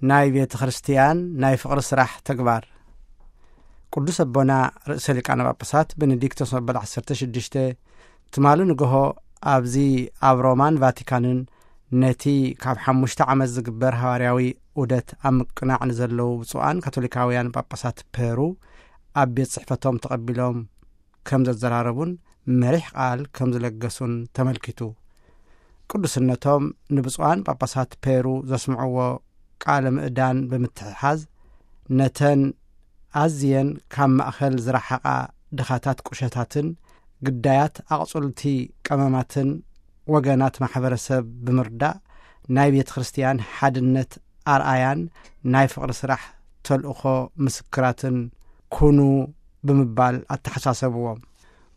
ናይ ቤተ ክርስቲያን ናይ ፍቕሪ ስራሕ ተግባር። ቅዱስ ኣቦና ርእሰ ሊቃነ ጳጳሳት ቤኔዲክቶስ መበል ዓሰርተ ሽዱሽተ ትማሊ ንግሆ ኣብዚ ኣብ ሮማን ቫቲካንን ነቲ ካብ ሓሙሽተ ዓመት ዝግበር ሃዋርያዊ ዑደት ኣብ ምቅናዕ ንዘለዉ ብፁዓን ካቶሊካውያን ጳጳሳት ፔሩ ኣብ ቤት ጽሕፈቶም ተቐቢሎም ከም ዘዘራረቡን መሪሕ ቃል ከም ዝለገሱን ተመልኪቱ። ቅዱስነቶም ንብፁዓን ጳጳሳት ፔሩ ዘስምዕዎ ቃለ ምእዳን ብምትሕሓዝ፣ ነተን ኣዝየን ካብ ማእከል ዝረሓቓ ድኻታት ቁሸታትን ግዳያት ኣቕጹልቲ ቀመማትን ወገናት ማሕበረሰብ ብምርዳእ፣ ናይ ቤተ ክርስቲያን ሓድነት ኣርኣያን ናይ ፍቕሪ ስራሕ ተልእኾ ምስክራትን ኩኑ ብምባል ኣተሓሳሰብዎም።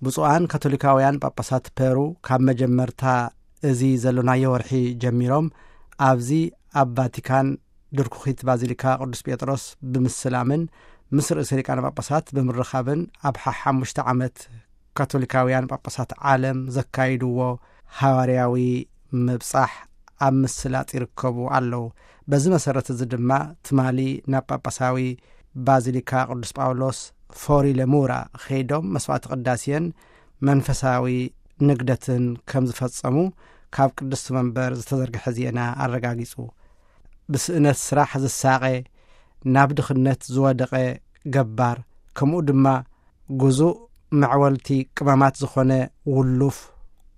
ብፁዓን ካቶሊካውያን ጳጳሳት ፔሩ ካብ መጀመርታ እዚ ዘሎናዮ ወርሒ ጀሚሮም ኣብዚ ኣብ ቫቲካን ድርኩኺት ባዚሊካ ቅዱስ ጴጥሮስ ብምስላምን ምስ ርእሰ ሊቃነ ጳጳሳት ብምርኻብን ኣብ ሓሓሙሽተ ዓመት ካቶሊካውያን ጳጳሳት ዓለም ዘካይድዎ ሃዋርያዊ ምብጻሕ ኣብ ምስላጥ ይርከቡ ኣለዉ። በዚ መሰረት እዚ ድማ ትማሊ ናብ ጳጳሳዊ ባዚሊካ ቅዱስ ጳውሎስ ፎሪ ለሙራ ኸይዶም መስዋዕቲ ቅዳሴን መንፈሳዊ ንግደትን ከም ዝፈጸሙ ካብ ቅድስቲ መንበር ዝተዘርግሐ ዜና ኣረጋጊጹ። ብስእነት ስራሕ ዝሳቐ፣ ናብ ድኽነት ዝወደቐ ገባር፣ ከምኡ ድማ ግዙእ መዕወልቲ ቅመማት ዝኾነ ውሉፍ፣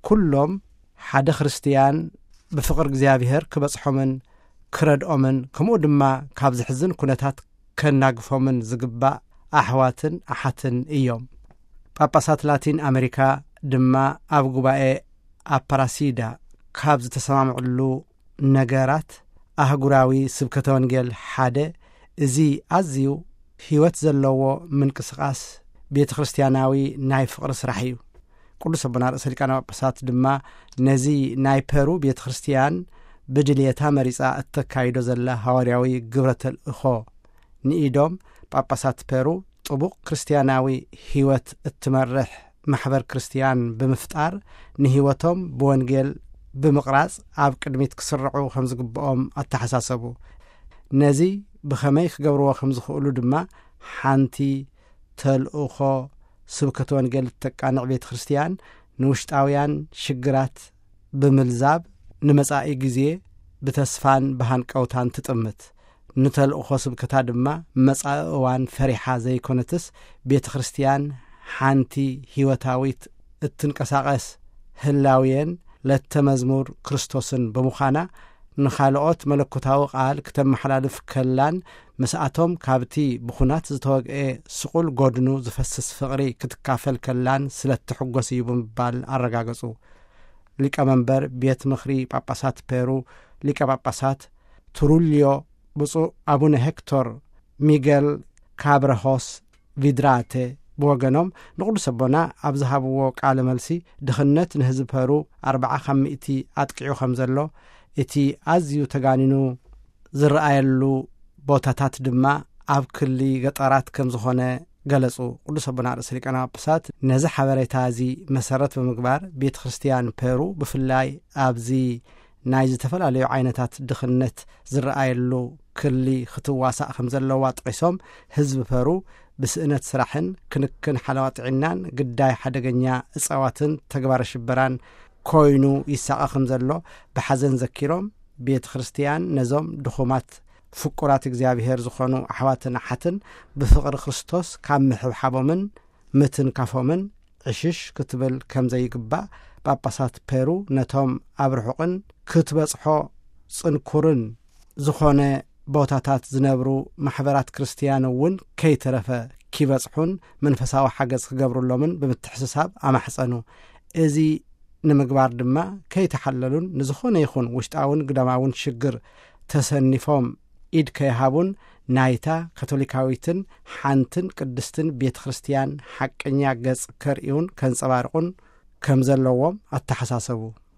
ኩሎም ሓደ ክርስትያን ብፍቕሪ እግዚኣብሔር ክበጽሖምን ክረድኦምን፣ ከምኡ ድማ ካብ ዘሕዝን ኩነታት ከናግፎምን ዝግባእ ኣሕዋትን ኣሓትን እዮም። ጳጳሳት ላቲን ኣሜሪካ ድማ ኣብ ጉባኤ ኣፓራሲዳ ካብ ዝተሰማምዕሉ ነገራት ኣህጉራዊ ስብከተ ወንጌል ሓደ፣ እዚ ኣዝዩ ህይወት ዘለዎ ምንቅስቓስ ቤተ ክርስቲያናዊ ናይ ፍቕሪ ስራሕ እዩ። ቅዱስ ኣቦና ርእሰ ሊቃነ ጳጳሳት ድማ ነዚ ናይ ፐሩ ቤተ ክርስቲያን ብድልየታ መሪጻ እተካይዶ ዘላ ሃዋርያዊ ግብረ ተልእኾ ንኢዶም፣ ጳጳሳት ፐሩ ጥቡቕ ክርስትያናዊ ህይወት እትመርሕ ማሕበር ክርስትያን ብምፍጣር፣ ንህይወቶም ብወንጌል ብምቕራጽ ኣብ ቅድሚት ክስርዑ ከም ዝግብኦም ኣተሓሳሰቡ። ነዚ ብኸመይ ክገብርዎ ከም ዝኽእሉ ድማ፣ ሓንቲ ተልእኾ ስብከተ ወንጌል እተቃንዕ ቤተ ክርስትያን ንውሽጣውያን ሽግራት ብምልዛብ፣ ንመጻኢ ግዜ ብተስፋን ብሃንቀውታን ትጥምት። ንተልእኾ ስብከታ ድማ መጻኢ እዋን ፈሪሓ ዘይኮነትስ፣ ቤተ ክርስትያን ሓንቲ ህይወታዊት እትንቀሳቐስ ህላውየን ለተ መዝሙር ክርስቶስን ብምዃና፣ ንኻልኦት መለኮታዊ ቃል ክተመሓላልፍ ከላን፣ ምስኣቶም ካብቲ ብኹናት ዝተወግኤ ስቑል ጎድኑ ዝፈስስ ፍቕሪ ክትካፈል ከላን ስለ እትሕጎስ እዩ ብምባል ኣረጋገጹ። ሊቀ መንበር ቤት ምኽሪ ጳጳሳት ፔሩ፣ ሊቀ ጳጳሳት ትሩልዮ፣ ብፁዕ ኣቡነ ሄክቶር ሚገል ካብረሆስ ቪድራተ ብወገኖም፣ ንቅዱስ ኣቦና ኣብ ዝሃብዎ ቃለ መልሲ፣ ድኽነት ንህዝቢ ፐሩ ኣርብዓ ካብ ሚእቲ ኣጥቂዑ ከም ዘሎ፣ እቲ ኣዝዩ ተጋኒኑ ዝረኣየሉ ቦታታት ድማ ኣብ ክሊ ገጠራት ከም ዝኾነ ገለጹ። ቅዱስ ኣቦና ርእሰ ሊቃነ ጳጳሳት ነዚ ሓበሬታ እዚ መሰረት ብምግባር፣ ቤተ ክርስቲያን ፔሩ ብፍላይ ኣብዚ ናይ ዝተፈላለዩ ዓይነታት ድኽነት ዝረኣየሉ ክሊ ክትዋሳእ ከም ዘለዋ ጠቒሶም፣ ህዝቢ ፐሩ ብስእነት ስራሕን ክንክን ሓለዋ ጥዕናን ግዳይ ሓደገኛ እጻዋትን ተግባረ ሽበራን ኮይኑ ይሳቐ ከም ዘሎ ብሓዘን ዘኪሮም፣ ቤተ ክርስቲያን ነዞም ድኹማት ፍቁራት እግዚኣብሔር ዝኾኑ ኣሕዋትን ኣሓትን ብፍቕሪ ክርስቶስ ካብ ምሕብሓቦምን ምትንካፎምን ዕሽሽ ክትብል ከም ዘይግባእ፣ ጳጳሳት ፔሩ ነቶም ኣብ ርሑቕን ክትበጽሖ ጽንኩርን ዝኾነ ቦታታት ዝነብሩ ማሕበራት ክርስትያን እውን ከይተረፈ ኪበጽሑን መንፈሳዊ ሓገዝ ክገብሩሎምን ብምትሕስሳብ ኣማሕጸኑ። እዚ ንምግባር ድማ ከይተሓለሉን ንዝኾነ ይኹን ውሽጣውን ግዳማውን ሽግር ተሰኒፎም ኢድ ከይሃቡን ናይታ ካቶሊካዊትን ሓንትን ቅድስትን ቤተ ክርስቲያን ሓቀኛ ገጽ ከርእዩን ከንጸባርቑን ከም ዘለዎም ኣተሓሳሰቡ።